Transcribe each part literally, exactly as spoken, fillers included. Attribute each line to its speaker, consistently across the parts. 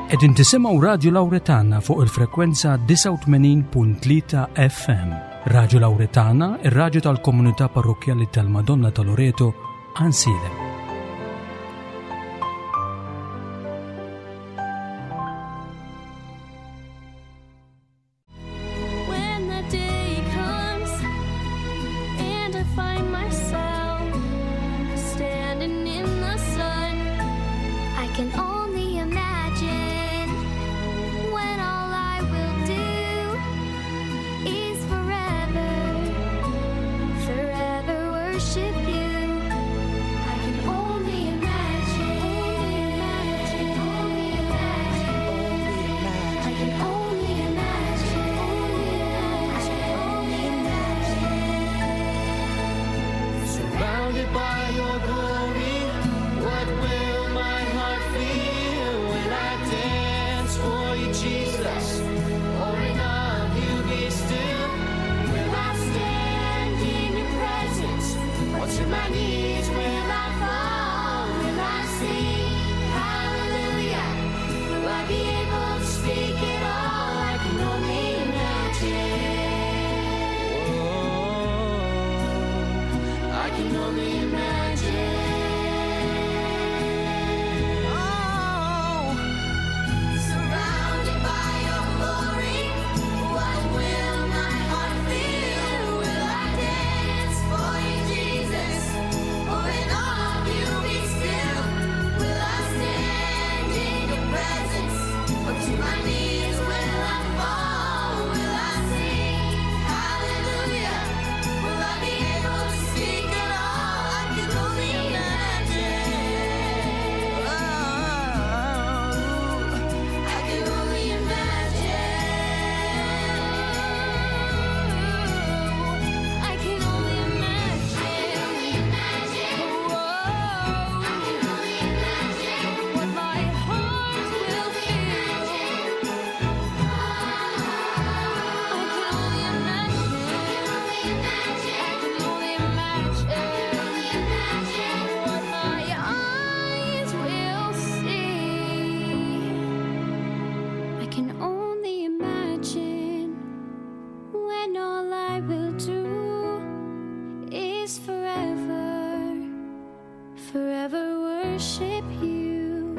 Speaker 1: Qegħdin tisimgħu Radju Lawretana fuq il-frekwenza disgħa u tmenin punt tlieta F M. Radju Lawretana, ir-radju tal-Komunità Parrokkjali tal-Madonna ta' Loreto, Għajnsielem.
Speaker 2: When the day comes and I find myself standing in the sun,
Speaker 3: I can only imagine when all I will do is forever, forever worship you. I can only imagine, only imagine, I can only imagine, I can only imagine.
Speaker 4: Surrounded by your glory, what will my heart feel? Will I dance for you, Jesus, or in awe of you be still? Will I stand in your presence, or to my knees will I fall? Will I sing hallelujah? Will I be able to speak at all? I can only imagine. Whoa, I can only imagine. Oh,
Speaker 3: Surrounded by your glory, what will my heart feel? Will I dance for you, Jesus, or in awe of you be still? Will I stand in your presence, or to my knees will I fall? Will I sing hallelujah? Will I be able to speak at all? I can only imagine. I can only imagine.
Speaker 2: I can only imagine. Whoa. What my heart will feel. I can only imagine. I can only imagine what my eyes will see.
Speaker 3: I can only imagine when all I will do is forever, forever worship you.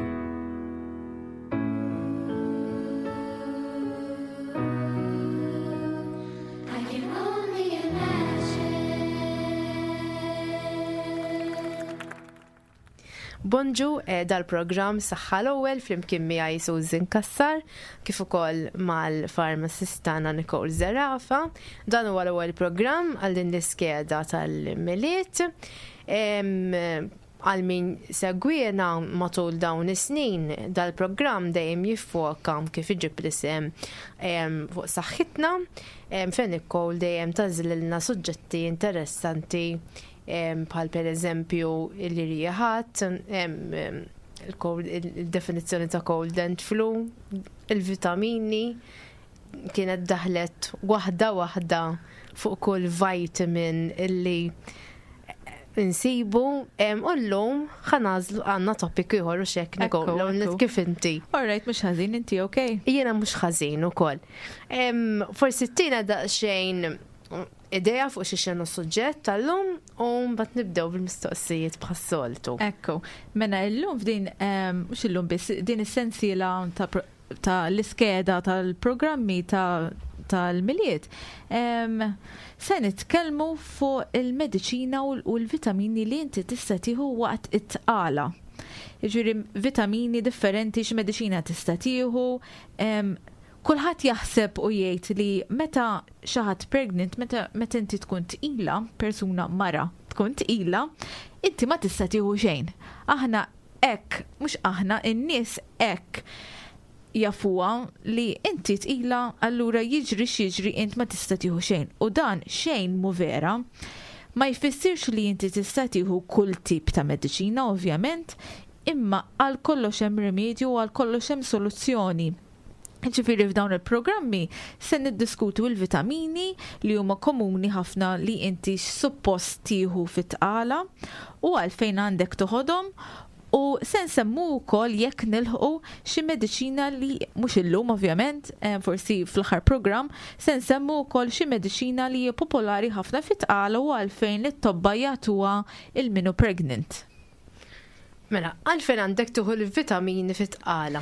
Speaker 3: I can only imagine.
Speaker 5: Bonġu, eh, dal-programm Saħħa l-Ewwel flimkien miegħi Susan Cassar, kif ukoll mal-farmacist tagħna Nicole Zerafa. Dan huwa l-ewwel programm għal din l-iskeda tal-Milied. Em, għal min segwiena matul dawn is-snin, dal-programm dejjem jiffoka kif iġib l-isem, em, fuq saħħitna, em, fejn Nicole dejjem tażlilna suġġetti interessanti, em, bħal per eżempju l-irjieħat, em, em, il-cold, il-definizzjoni ta' cold and flu, il-vitamini, kienet daħlet waħda waħda fuq kull vitamin illi insibu, em, u llum ħanażlu għandna topic ieħor u xek
Speaker 6: Ekku,
Speaker 5: Nicole, l-ewwel
Speaker 6: ekku.
Speaker 5: kif inti?
Speaker 6: All right, mhux ħażin, inti okay?
Speaker 5: Jiena mhux ħażin ukoll. Em, forsi tina daqsxejn idea fuq xi xenu suġġett tal-lum u mbagħad nibdew bil-mistoqsijiet bħas-soltu.
Speaker 6: Ekku, mela llum f'din, em, mhux illum biss, din is-sensiela ta' pro-, ta' l-iskeda tal-programmi ta' tal-Milied, em, se nitkellmu fuq il-mediċina u l-, u l-vitamini li inti tista' tieħu waqt it-tqala. Jiġifieri vitamini differenti x'mediċina tista' tieħu, em, kulħadd jaħseb u jgħid li meta xi ħadd pregnant, meta, meta inti tkun tqila, persuna mara tkun tqila, inti ma tista' tieħu xejn. Aħna hekk, mhux aħna, in-nies hekk jafuha li inti tqila, allura jiġri x'jiġri int ma tista' tieħu xejn. U dan xejn mu vera. Ma jfissirx li inti tista' tieħu kull tip ta' mediċina, ovvjament, imma għal kollox hemm rimedju u għal kollox hemm soluzzjoni. Ġifieri f'dawn il-programmi se niddiskutu l-vitamini li huma komuni ħafna li inti suppost tieħu fit-tqala u għalfejn għandek toħodhom U se nsemmu wkoll, jekk nilħqu, xi mediċina li mhux illum ovvjament, eh, forsi fl-aħħar programm, se nsemmu wkoll xi mediċina li hija popolari ħafna fit-tqala u għalfejn li t-tobba jagħtuha lil min hu pregnant.
Speaker 5: Mela, għalfejn għandek tieħu l-vitamini fit-tqala?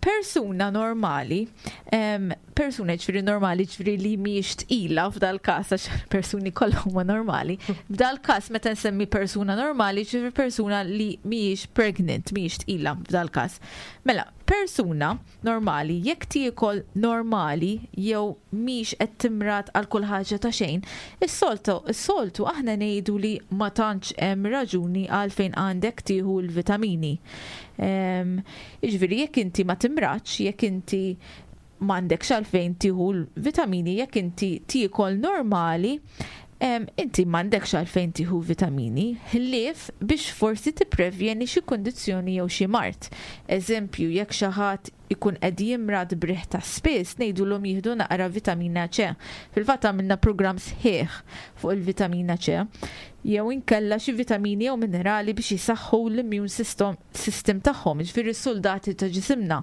Speaker 6: Persuna normali, em, persuna ġifieri normali, ġifieri li mhijiex tqila f'dal każ, għax persuni kollha huma normali. F'dal każ meta nsemmi persuna normali, ġifieri persuna li mhijiex pregnant, mhijiex tqila f'dal każ. Mela, persuna normali, jekk tiekol normali jew mhix qed timrad għal kull ħaġa ta' xejn, is-soltu is-soltu aħna ngħidu li ma tantx hemm raġuni għalfejn għandek tieħu l-vitamini. Em, Jiġifieri jekk inti ma timradx, jekk inti m'għandekx għalfejn tieħu l-vitamini, jekk inti tiekol normali, em, inti m'għandekx għalfejn tieħu vitamini, ħlief biex forsi tipprevjeni xi kundizzjoni jew xi mard. Eżempju, jekk xi ħadd ikun qed jimrad b'riħ ta' spiss, ngħidulhom jieħdu naqra vitamina C. Fil-fatt għamilna programm sħiħ fuq il-vitamina C. Jew inkella xi vitamini jew minerali biex jisaħħu l-immune system, system tagħhom, jiġifieri s-soldati ta' ġisimna.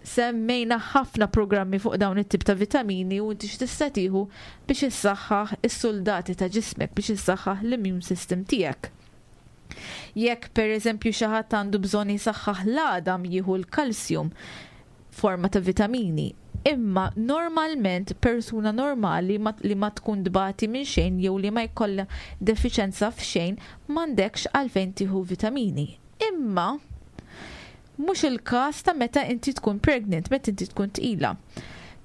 Speaker 6: Semmejna ħafna programmi fuq dawn it-tip ta' vitamini u inti x'tista' tieħu biex issaħħaħ is-soldati ta' ġismek, biex issaħħaħ l-immune system tiegħek. Jekk per eżempju xi ħadd għandu bżonn jisaħħaħ l-għadam, jieħu l-kalsjum forma ta' vitamini. Imma normalment persuna normali ma, li ma tkun tbati minn xejn jew li ma jkollha defiċenza f'xejn, m'għandekx għalfejn tieħu vitamini. Imma mhux il-każ ta' meta inti tkun pregnant, meta inti tkun tqila.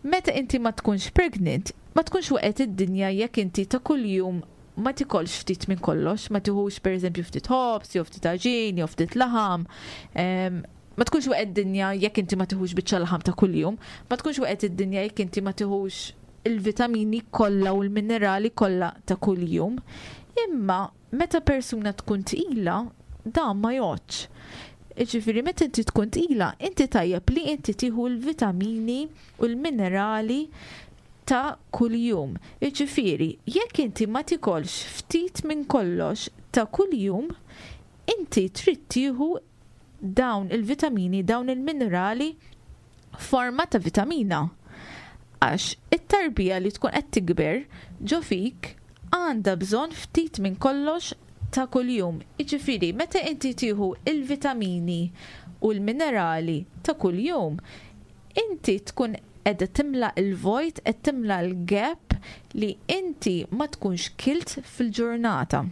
Speaker 6: Meta inti ma tkunx pregnant, ma tkunx waqgħet id-dinja jekk inti ta' kuljum ma tikolx ftit minn kollox, ma tiħux per eżempju ftit ħobż, jew ftit għaġin, jew ftit laħam. Em, ma tkunx waqgħet id-dinja jekk inti ma tiħux biċċa laħam ta' kuljum, ma tkunx waqgħet id-dinja jekk inti ma tiħux il-vitamini kollha u l-minerali kollha ta' kuljum. Imma meta persuna tkun tqila, dan ma jgħoddx. Ġifieri, meta inti tkun tqila, inti tajjeb li inti tieħu l-vitamini u l-minerali ta' kuljum. Ġifieri, jekk inti ma tikolx ftit minn kollox ta' kuljum, inti trid tieħu dawn il-vitamini, dawn il-minerali forma ta' vitamina. Għax it-tarbija li tkun qed tikber ġo fik għandha bżonn ftit minn kollox ta' kuljum. Jiġifieri, meta inti tieħu il-vitamini u l-minerali ta' kuljum, inti tkun qed timla il-vojt, qed timla l-gap li inti ma tkunx kilt fil-ġurnata.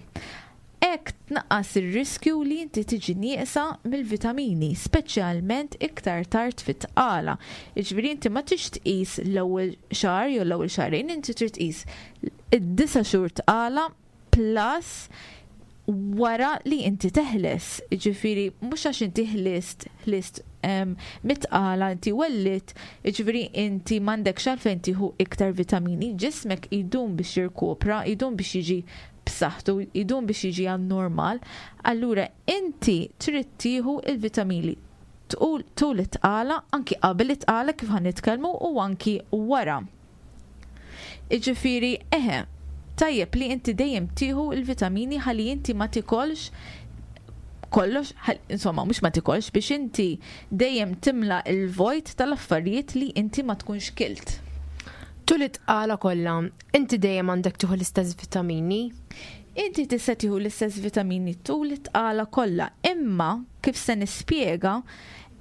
Speaker 6: Hekk tnaqqas ir-riskju li inti tiġi nieqsa mill-vitamini, speċjalment iktar tard fit-tqala. Jiġifieri inti ma tix tqis l-ewwel xahar jew l-ewwel xahrejn, inti trid tqis id-disa' xhur tqala plus wara li inti teħles. Ġifieri, mhux għax inti ħlist, ħlist em, mit-tqala, inti wellidt, ġifieri inti m'għandekx għalfejn tieħu iktar vitamini, ġismek idum biex jirkupra, idum biex jiġi b'saħħtu, idum biex jiġi għan normal, allura inti trid tieħu il-vitamini tul tul it-tqala, anki qabel it-tqala kif ħa nitkellmu u anki wara. Iġifieri, eħe, tajjeb li inti dejjem tieħu il-vitamini ħalli inti ma tikolx kollox, ħal- insomma, mhux ma tikolx, biex inti dejjem timla il-vojt tal-affarijiet li inti ma tkunx kilt.
Speaker 5: Tul it-tqala kollha, inti dejjem għandek tieħu l-istess vitamini?
Speaker 6: Inti tista' tieħu l-istess vitamini tul it-tqala kollha, imma kif se nispjega,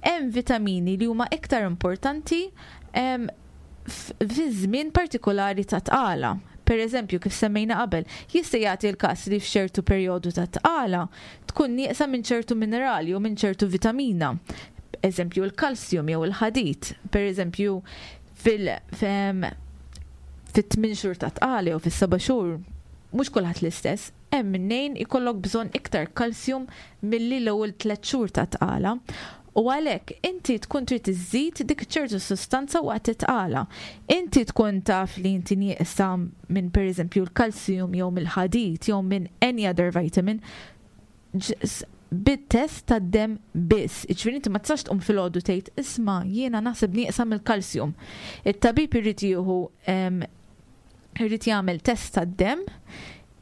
Speaker 6: hemm vitamini li huma iktar importanti em, f- fi żmien partikolari ta' tqala. Per eżempju, kif semmejna qabel, jista' jagħti l-każ li f'ċertu perjodu ta' tqala tkun nieqsa minn ċertu minerali u minn ċertu vitamina. Eżempju, il-kalsjum jew il-ħadid. Per eżempju, fil fem, fit-tmien xhur ta' tqala jew fis-seba' xhur, mhux kulħadd l-istess, hemm minnejn ikollok bżonn iktar kalsjum milli l-ewwel tliet xhur ta' tqala. U għalhekk inti tkun trid iżżid dik ċertu sustanza waqt it-tqala. Inti tkun taf li inti nieqsa minn, pereżempju, l-kalsjum jew mill-ħadid jew minn any other vitamin ġ- bit-test tad-dem biss. Ġifieri inti ma tistax tqum filgħodu tgħid, "Isma', jiena naħseb nieqsa mill-kalsjum." It-tabib irid jieħu em, irid jagħmel test tad-dem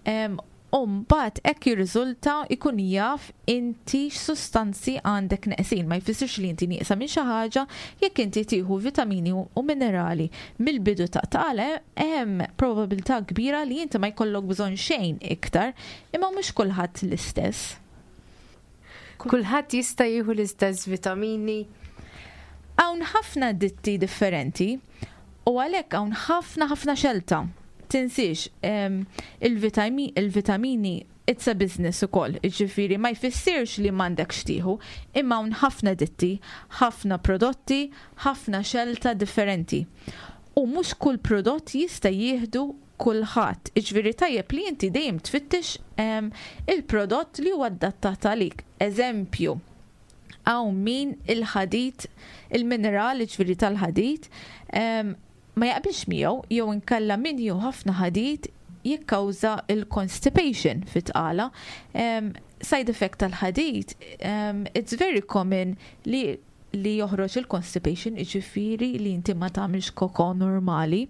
Speaker 6: em, U mbagħad hekk jirriżulta jkun jaf inti x'sustanzi għandek neqsin. Ma jfissirx li inti nieqsa minn xi ħaġa jekk inti tieħu vitamini u minerali mill-bidu ta' tqala, hemm probabilità kbira li inti ma jkollok bżonn xejn iktar, imma mhux kulħadd l-istess.
Speaker 5: Kulħadd jista' jieħu l-istess vitamini?
Speaker 6: Hawn ħafna ditti differenti u għalhekk hawn ħafna ħafna xelta. Tinsiex, il-vitamini it's a business ukoll, ġifieri ma jfissirx li m'għandek x'tieħu, imma hawn ħafna ditti, ħafna prodotti, ħafna xelta differenti. U mhux kull prodott jista' jieħdu kulħadd. Iġifieri tajjeb li inti dejjem tfittex il-prodott li huwa adattat għalik. Eżempju, hawn min il-ħadid, il-mineral ġifieri tal-ħadid, ma jaqbilx miegħu, jew inkella min jieħu ħafna ħadid jikkawża il-constipation fit-tqala. Side effect tal-ħadid, it's very common li li joħroġ il-constipation, ġifieri li inti ma tagħmilx koko normali.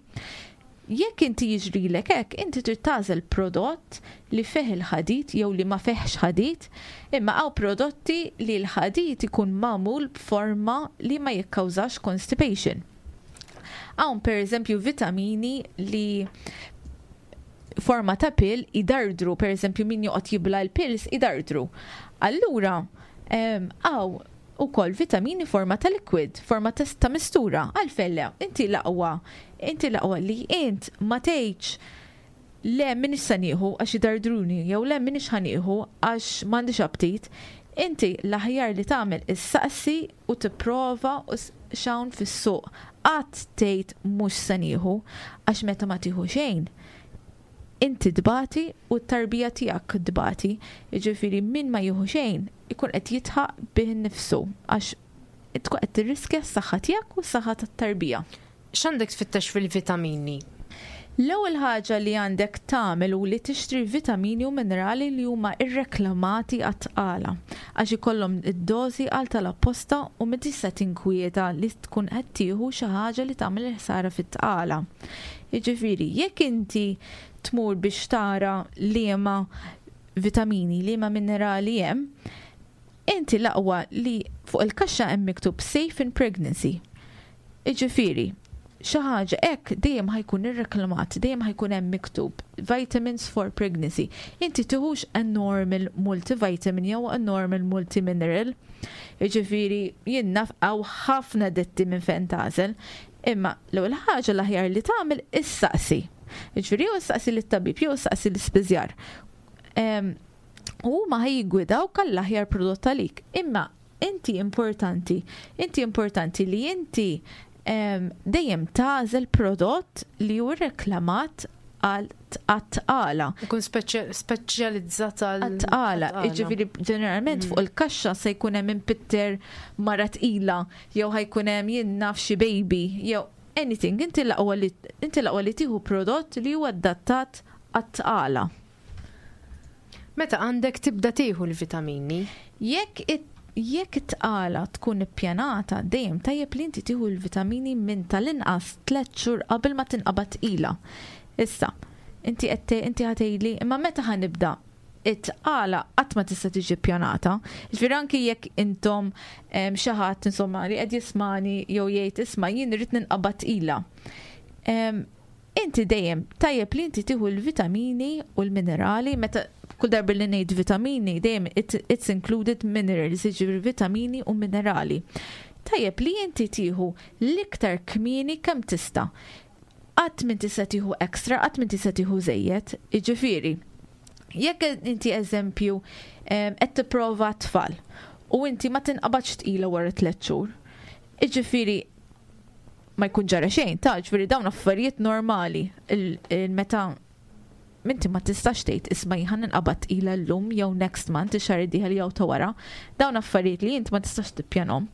Speaker 6: Jekk inti jiġrilek hekk, inti trid tagħżel prodott li fih il-ħadid jew li ma fihx ħadid, imma hawn prodotti li l-ħadid ikun magħmul b'forma li ma jikkawżax constipation. Hawn per eżempju vitamini li forma ta' pill idardru, per eżempju min joqgħod jibla l-pills idardru. Allura, hawn ukoll vitamini forma ta' liquid, forma ta' ta' mistura. Għalfejn le, inti l-aqwa, inti l-aqwa li int ma tgħidx le m'iniex se nieħu għax idardruni, jew le m'iniex ħa nieħu għax m'għandix aptit. Inti l-aħjar li tagħmel issaqsi u tipprova u x'hawn fis-suq. Qatt tgħid mhux se nieħu, għax meta ma tieħu xejn, inti tbati u t-tarbija tiegħek tbati. Jiġifieri min ma jieħu xejn ikun qed jidħaq bih innifsu għax tkun qed tirriskja s-saħħa tiegħek u s-saħħa tat-tarbija.
Speaker 5: X'għandek tfittex fil-vitamini?
Speaker 6: L-ewwel ħaġa li għandek tagħmel u li tixtri vitamini u minerali li huma irreklamati għat-tqala, għax ikollhom id-dożi għal tal-apposta u ma tista' tinkwieta li tkun qed tieħu xi ħaġa li tagħmel il-ħsara fit-tqala. Jiġifieri, jekk inti tmur biex tara liema vitamini, liema minerali hemm, inti l-aqwa li fuq il-kaxxa hemm miktub "safe in pregnancy". Jiġifieri, xi ħaġa hekk dejjem ħa jkun irreklamat, dejjem ħa jkun hemm miktub "vitamins for pregnancy". Inti tiħux a normal multivitamin jew a normal multimineral. Jiġifieri jien naf hawn ħafna ditti minn fejn tagħżel, imma l-ewwel ħaġa l-aħjar li tagħmel issaqsi. Jiġifieri jew issaqsi lit-tabib jew issaqsi l-ispiżjar. U ma ħa jiggwidawk għall-aħjar prodott għalik. Imma inti importanti, inti importanti li inti dejjem tagħżel prodott li hu reklamat għal għat-tqala.
Speaker 5: Ikun speċjalizzat għal
Speaker 6: għat-tqala. Jiġifieri ġeneralment fuq il-kaxxa se jkun hemm impitter mara tqila jew ħa jkun hemm jien naf xi baby jew anything. Inti l-aqwa li inti l-aqwa li tieħu prodott li huwa adattat għat-tqala.
Speaker 5: Meta għandek tibda tieħu l-vitamini?
Speaker 6: Jekk it jekk it-tqala tkun ippjanata, dejjem tajjeb li inti tieħu l-vitamini minn tal-inqas tliet xhur qabel ma tinqabad tqila. Issa, inti qed inti ħa tgħidli, imma meta ħa nibda? It-tqala qatt ma tista' tiġi ppjanata. Ġifieri anki jekk intom xi ħadd insomma li qed jismani jew jgħid, "Isma', jien irrid ninqabad tqila." Inti dejjem tajjeb li inti tieħu l-vitamini u l-minerali. Meta kull darba li ngħid vitamini, dejjem it's included minerals, jiġifieri vitamini u minerali. Tajjeb li inti tieħu l-iktar kmieni kemm tista'. Qatt min tista' tieħu extra, qatt min tista' tieħu żejjed, jiġifieri. Jekk inti eżempju qed tipprova tfal u inti ma tinqabadx tqila wara tliet xhur, jiġifieri ma jkun ġara xejn, ta' ġifieri dawn affarijiet normali il-meta inti ma tistax tgħid, "Isma', ħa ninqabad tqila llum jew next month, ix-xahar id-dieħel jew ta' wara." Dawn affarijiet li int ma tistax tippjanhom.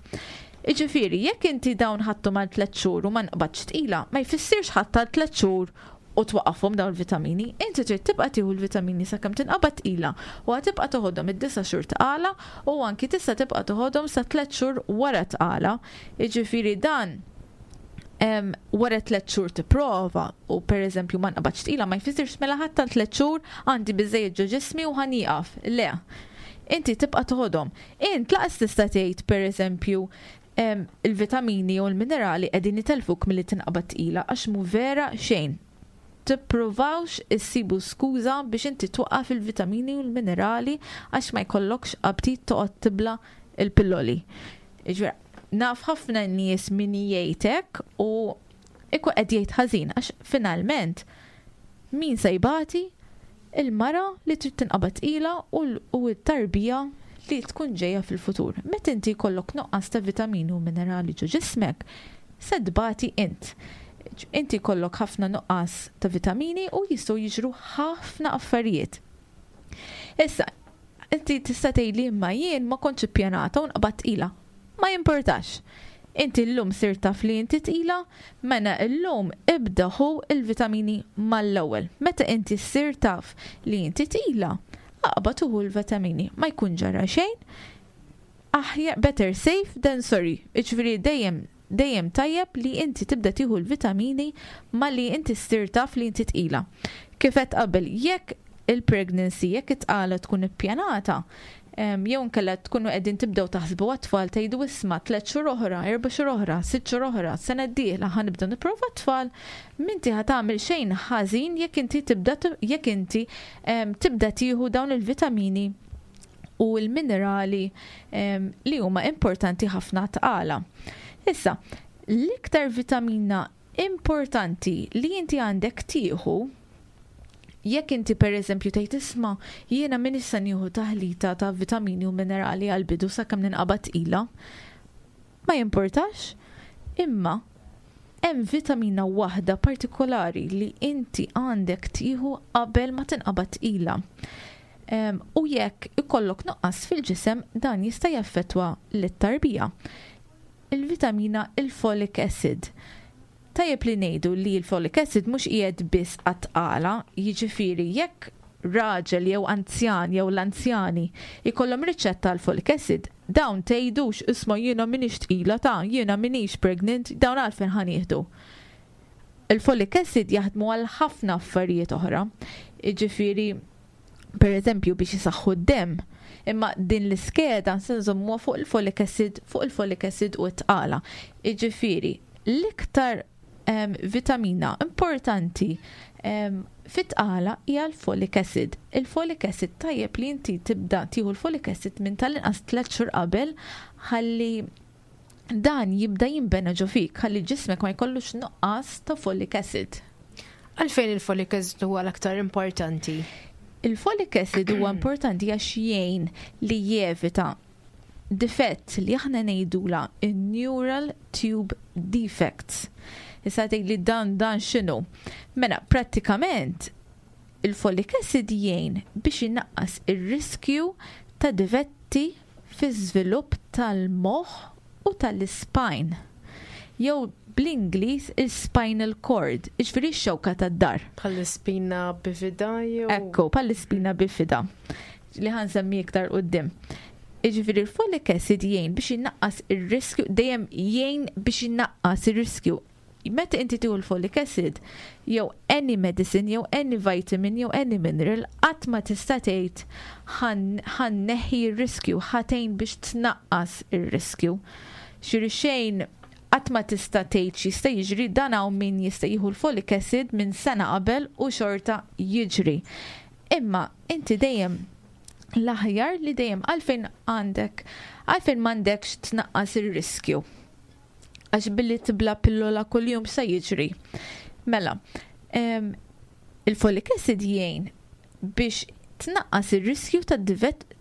Speaker 6: Jiġifieri, jekk inti dawn ħadthom għal tliet xhur u ma nqbadx tqila, ma jfissirx ħadd għal tliet xhur u twaqqafhom dawn il-vitamini. Inti trid tibqa' tieħu l-vitamini sakemm tinqabad tqila u ħa tibqa' toħodhom id-disa' xhur tqala u anki tista' tibqa' toħodhom sa tliet xhur wara tqala. Jiġifieri dan em, wara tliet xhur tipprova u pereżempju ma nqabadx tqila, ma jfissirx mela ħadd tal tliet xhur għandi biżejjed ġo ġismi u ħa nieqaf. Le. Inti tibqa' toħodhom. Int lanqas tista' tgħid, pereżempju, em, il-vitamini u l-minerali qegħdin itelfuk milli tinqabad tqila, għax mu vera xejn. Tippruvawx issibu skuża biex inti twaqqaf il-vitamini u l-minerali għax ma jkollokx aptit toqgħod tibla il-pilloli. Jiġifieri, naf ħafna nies min jgħidlek u ikun qed jgħid ħażin, għax finalment min se jbati? Il-mara li trid tinqabad tqila u l- u t-tarbija li tkun ġejja fil-futur. Meta inti jkollok nuqqas ta' vitamini u minerali ġo ġismek, se tbati int. Inti jkollok ħafna nuqqas ta' vitamini u jistgħu jiġru ħafna affarijiet. Issa, inti tista' tgħidli, "Imma jien ma kontx ippjanata u nqbadt tqila." Ma jimportax. Inti llum sirt taf li inti tqila, mela llum ibda ħu il-vitamini mal-ewwel. Meta inti ssir taf li inti tqila, aqbad u ħu l-vitamini. Ma jkun ġara xejn. Aħjar better safe than sorry. Jiġifieri dejjem dejjem tajjeb li inti tibda tieħu l-vitamini malli inti ssir taf li inti tqila. Kif qed qabel, jekk il-pregnancy, jekk it-tqala tkun ippjanata, em, jew nkella tkunu qegħdin tibdew taħsbu għat-tfal, tgħidu, "Isma', tliet xhur oħra, erba' xhur oħra, sitt xhur oħra, sena d-dieħla ħa nibda nipprova tfal", m'inti ħa tagħmel xejn ħażin jekk inti tibda jekk inti em, tibda tieħu dawn il-vitamini u l-minerali em, li huma importanti ħafna tqala. Issa, l-iktar vitamina importanti li inti għandek tieħu, jekk inti per eżempju tgħid, "Isma', jiena min issa nieħu taħlita ta' vitamini u minerali għal bidu sakemm ninqabad tqila", ma jimportax, imma hemm vitamina waħda partikolari li inti għandek tieħu qabel ma tinqabad tqila. Em, u jekk ikollok nuqqas fil-ġisem, dan jista' jaffettwa lit-tarbija. Il-vitamina il-folic acid. Tajjeb li ngħidu li l-folic acid mhux qiegħed biss għat-tqala, jiġifieri jekk raġel jew anzjan jew l-anzjani jkollhom riċetta għal folic acid, dawn tgħidux, "Isma', jiena m'iniex tqila ta', jiena m'iniex pregnant, dawn għalfejn ħa nieħdu?" Il-folic acid jaħdmu għal ħafna affarijiet oħra. Jiġifieri, per eżempju, biex jisaħħu d-dem. Imma din l-iskeda se nżommuha fuq il-folic acid, fuq il-folic acid u t-tqala. Jiġifieri, l-iktar em, vitamina importanti em, fit-tqala hija l-folic acid. Il-folic acid tajjeb li inti tibda tieħu l-folic acid minn tal-inqas tliet xhur qabel ħalli dan jibda jinbena ġo fik, ħalli ġismek ma jkollux nuqqas ta' folic acid.
Speaker 5: Għalfejn il-folic acid huwa l-aktar importanti?
Speaker 6: Il-folic acid huwa importanti għax jgħin li jevita difett li aħna ngħidula neural tube defects. Issa tgħid li dan dan x'inhu? Mela, prattikament il-folic acid jgħin biex inaqqas ir-riskju ta' difetti fi żvilupp tal-moħħ u tal-spine. Jew bl-Ingliż il-spinal cord, jiġifieri x-xewka tad-dahar.
Speaker 5: Bħall-spina bifida jew?
Speaker 6: Ekku, bħall-spina bifida li ħa nsemmi iktar quddiem. Jiġifieri il-folic acid jgħin biex inaqqas ir-riskju, dejjem jgħin biex inaqqas ir-riskju. Meta inti tieħu l-folic acid, jew any medicine, jew any vitamin, jew any mineral, qatt ma tista' tgħid ħa nneħħi r-riskju, ħa tgħin biex tnaqqas ir-riskju. Xiri xejn qatt ma tista' tgħid x'jista' jiġri, dan hawn min jista' jieħu l-folic acid minn sena qabel u xorta jiġri. Imma inti dejjem l-aħjar li dejjem, għalfejn għandek, għalfejn m'għandekx tnaqqas ir-riskju? Għax billi tibla pillola kuljum sa jiġri? Mela, em, il-folic acid jgħin biex tnaqqas ir-riskju ta'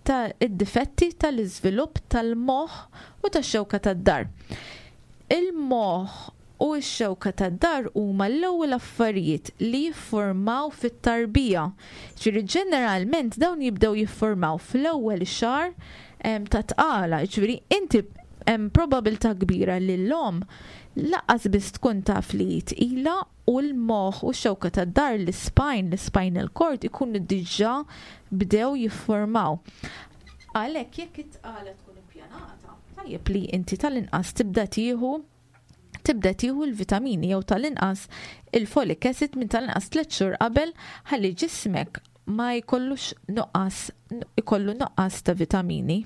Speaker 6: ta' id-difetti tal-iżvilupp tal-moħħ u tax-xewka tad-dahar. Il-moħħ u x-xewka tad-dahar huma l-ewwel affarijiet li jiffurmaw fit-tarbija. Ġifieri ġeneralment dawn jibdew jiffurmaw fl-ewwel xahar em, ta' tqala, ġifieri inti hemm probabilità kbira li l-omm lanqas biss tkun taf li tqila u l-moħħ u x-xewka tad-dahar, l-spine, l-spinal cord ikunu diġà bdew jiffurmaw. Għalhekk jekk it-tqala tkun ippjanata, tajjeb li inti tal-inqas tibda tieħu Tibda tieħu l-vitamini jew tal-inqas il-folic acid minn tal-inqas tliet xhur qabel, ħalli ġismek ma jkollux nuqqas, ikollu nuqqas ta' vitamini.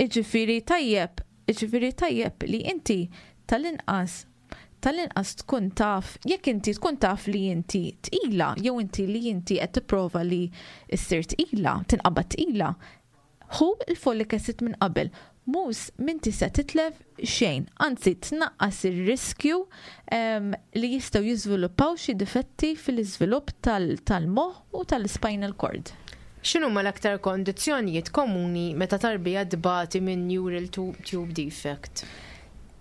Speaker 6: Iġifieri tajjeb, iġifieri tajjeb li inti tal-inqas tal-inqas tkun taf, jekk inti tkun taf li inti tqila, jew inti li inti qed tipprova li ssir tqila, tinqabad tqila, ħu il-folic acid minn qabel. Mhux m'inti se titlef xejn, anzi tnaqqas ir-riskju li jistgħu jiżviluppaw xi difetti fil-iżvilupp tal-moħħ u tal-spinal cord.
Speaker 5: X'inhuma l-aktar kondizzjonijiet komuni meta tarbija tbati minn neural tube defect?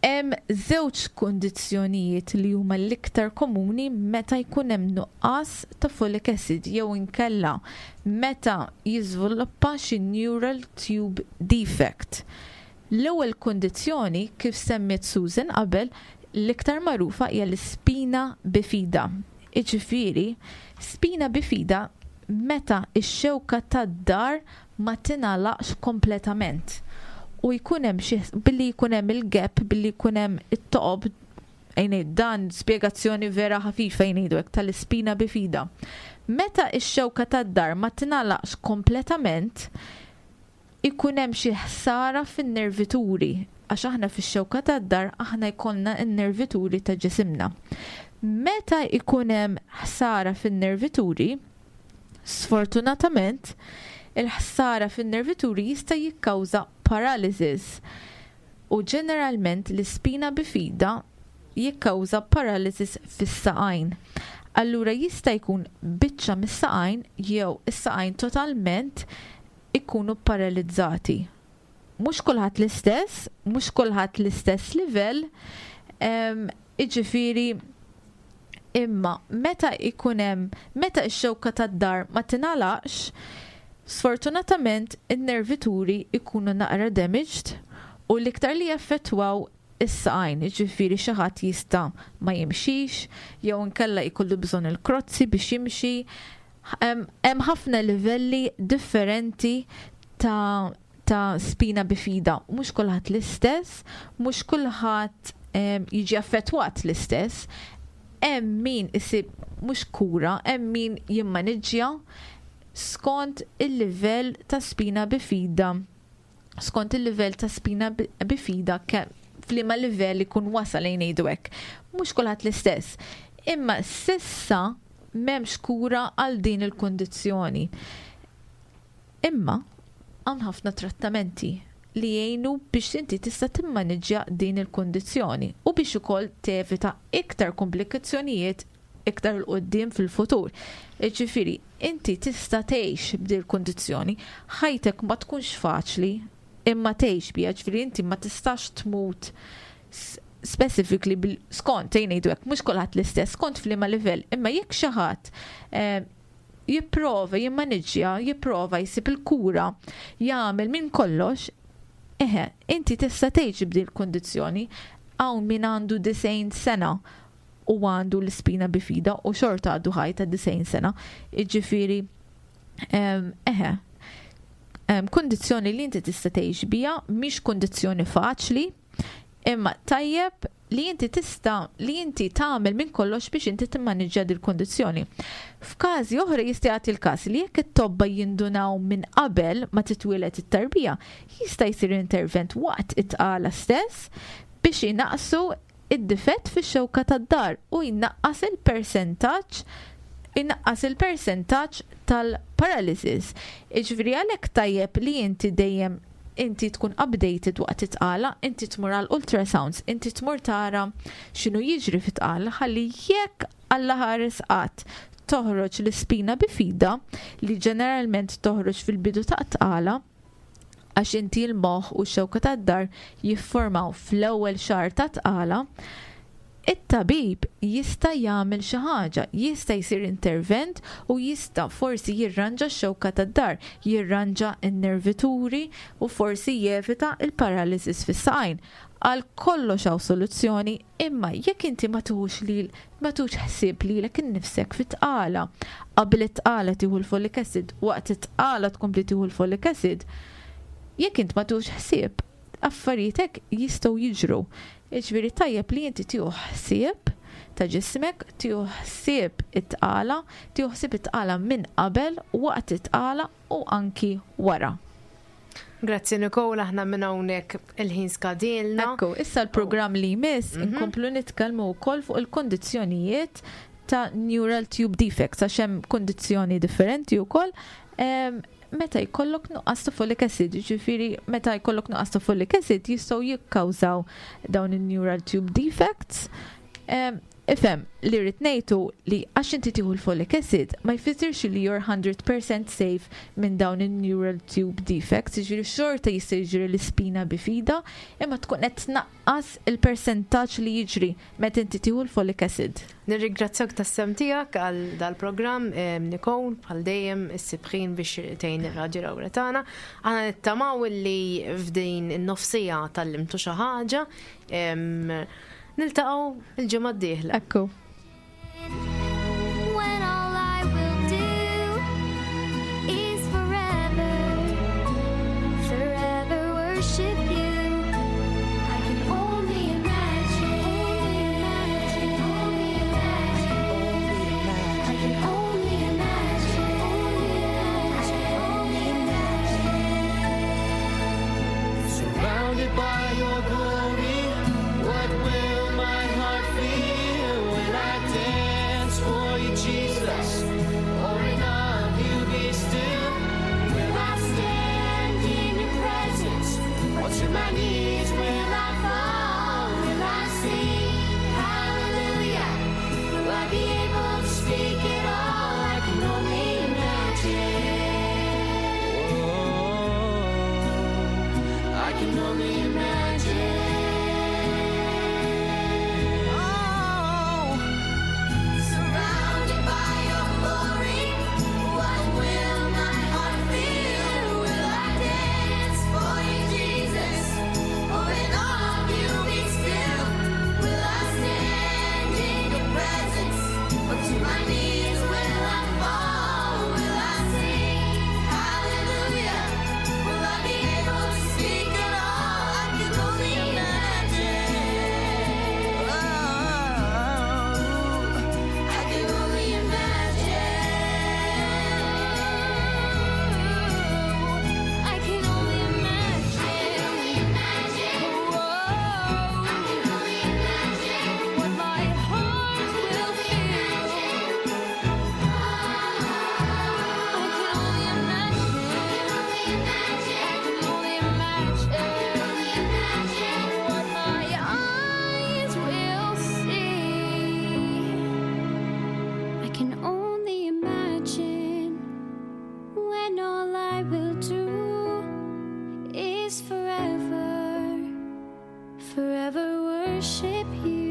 Speaker 6: Hemm żewġ kundizzjonijiet li huma l-iktar komuni meta jkun hemm nuqqas ta' folic acid jew inkella meta jiżviluppa xi neural tube defect. L-ewwel kundizzjoni, kif semmiet Susan qabel, l-iktar magħrufa hija l-spina bifida. Iġifieri, spina bifida meta x-xewka tad-dahar ma tingħalaqx kompletament. U jkun hemm xi billi jkun hemm il-gap, billi jkun hemm it-toqob, ejn dan spjegazzjoni vera ħafifa jgħidu hekk tal-ispina bifida. Meta x-xewka tad-dahar ma tingħalaqx kompletament, ikun hemm xi ħsara fin-nervituri, għax aħna fix-xewka tad-dahar aħna jkollna n-nervituri ta' ġisimna. Meta ikun hemm ħsara fin-nervituri, sfortunatament, il-ħsara fin-nervituri jista' jikkawża paralysis. U ġeneralment l-ispina bifida jikkawża paralysis fis-saqajn. Allura jista' jkun biċċa mis-saqajn jew is-saqajn totalment ikunu paralizzati. Mhux kulħadd l-istess, mhux kulħadd l-istess livell, iġifieri imma meta ikun hemm, meta x-xewka tad-dahar ma tingħalaqx, sfortunatament in-nervituri ikunu naqra damaged u l-iktar li jaffettwaw is-saqajn, ġifieri xi ħadd jista' ma jimxix, jew inkella jkollu bżonn il-krozzi biex jimxi. Hemm ħafna livelli differenti ta' ta' spina bifida. Mhux kulħadd l-istess, mhux kulħadd jiġi affettwat l-istess. Hemm min isib mhux kura, hemm min jimmaniġġja skont il-livell ta' spina bifida, skont il-livell ta' spina bifida f'liema livell ikun wasal, ngħidu hekk. Mhux kulħadd l-istess. Imma s'issa m'hemmx kura għal din il-kundizzjoni. Imma hawn ħafna trattamenti li jgħinu biex inti tista' timmaniġġja din il-kundizzjoni u biex ukoll tevita iktar komplikazzjonijiet iktar 'il quddiem fil-futur. Ġifieri, inti tista' tgħix b'din il-kundizzjoni, ħajtek ma tkunx faċli, imma tgħix biha, ġifieri inti ma tistax tmut specifically bil skont ngħidu hekk, mhux kulħadd l-istess, skont f'liema livell, imma jekk xi ħadd eh, jipprova jimmaniġġja, jipprova jsib il-kura, jagħmel minn kollox, eħe, inti tista' tgħix b'din il-kundizzjoni. Hawn min għandu disgħin sena u għandu l-ispina bifida u xorta għadu ħaj ta' disgħin sena. Iġifieri, eħe, kundizzjoni li inti tista' tgħix biha, mhix kundizzjoni faċli, imma tajjeb li inti tista' li inti tagħmel minn kollox biex inti timmaniġġja dil kundizzjoni. F'każi oħra jista' jagħti l-każ li jekk it-tobba jindunaw minn qabel ma titwieled it-tarbija, jista' jsir intervent waqt it-tqala stess biex inaqqsu id-difett fix-xewka tad-dahar u jnaqqas il-persentaġġ inaqqas il-persentaġġ tal-paralysis. Iġifieri għalhekk tajjeb li inti dejjem inti tkun updated waqt it-tqala, inti tmur għal ultrasounds, inti tmur tara x'inhu jiġri fit-tqala, ħalli jekk Alla ħares qatt toħroġ l-ispina bifida, li ġeneralment toħroġ fil-bidu ta' tqala, għax inti l-moħħ u x-xewka tad-dahar jiffurmaw fl-ewwel xahar ta' tqala, it-tabib jista' jagħmel xi ħaġa, jista' jsir intervent u jista' forsi jirranġa x-xewka tad-dahar, jirranġa n-nervituri u forsi jevita il-paralysis fis-saqajn. Għal kollox hawn soluzzjoni, imma jekk inti ma tuħux lil ma tuħux ħsieb lilek innifsek fit-tqala, qabel it-tqala tieħu l-folic acid, waqt it-tqala tkompli tieħu l-folic acid, jekk int ma tuħux ħsieb, Affarijiet hekk jistgħu jiġru. Jiġifieri tajjeb li inti tieħu ħsieb ta' ġismek, tieħu ħsieb it-tqala, tieħu ħsieb it-tqala minn qabel, waqt it-tqala u anki wara.
Speaker 5: Grazzi, Nicole, aħna minn hawnhekk il-ħin skadilna.
Speaker 6: Ekku, issa l-programm li jmiss inkomplu nitkellmu wkoll fuq il-kondizzjonijiet ta' neural tube defects, għax hemm kondizzjoni differenti wkoll em, meta jkollok nuqqas ta' folic acid, ġifieri meta jkollok nuqqas ta' folic acid jistgħu jikkawżaw dawn il-neural tube defects. Em, Ifhem, li rrid ngħidu li għax inti tieħu l-folic acid ma jfissirx li you're one hundred percent safe minn dawn il-neural tube defects, jiġifieri xorta jista' jiġri l-ispina bifida, imma tkun qed tnaqqas il-persentaġġ li jiġri meta inti tieħu l-folic acid.
Speaker 5: Nirringrazzjak tas-sehem tiegħek għal dal-programm, em, Nicole, bħal dejjem issib ħin biex tgħin ir-Radju Lawretana. Aħna nittamaw li f'din in-nofsija tgħallimtu xi ħaġa. Em, Niltaqgħu il-ġimgħa d-dieħla.
Speaker 6: Ekku.
Speaker 2: When all I will do is forever, forever worship you. I can only imagine, only imagine, I can only imagine, I can only imagine.
Speaker 4: Surrounded by your glory, what will my heart feel? Will I dance for you, Jesus? Or in awe of you be still? Will I stand in your presence? Or to my knees will I fall?
Speaker 3: Will I sing hallelujah? Will I be able to speak at all? I can only imagine.
Speaker 4: Oh, I can only imagine. Oh.
Speaker 3: Surrounded by your glory, what will my heart feel? Will I dance for you, Jesus? Or in awe of you be still? Will I stand in your presence? Or to my knees will I fall? Will I sing hallelujah? Will I be able to speak at all? I can only imagine.
Speaker 4: Oh,
Speaker 3: I can only imagine.
Speaker 2: I can only imagine.
Speaker 3: I can only imagine
Speaker 2: What my heart will feel. I can only imagine. I can only imagine what my eyes will see.
Speaker 3: I can only imagine when all I will do is forever, forever worship you.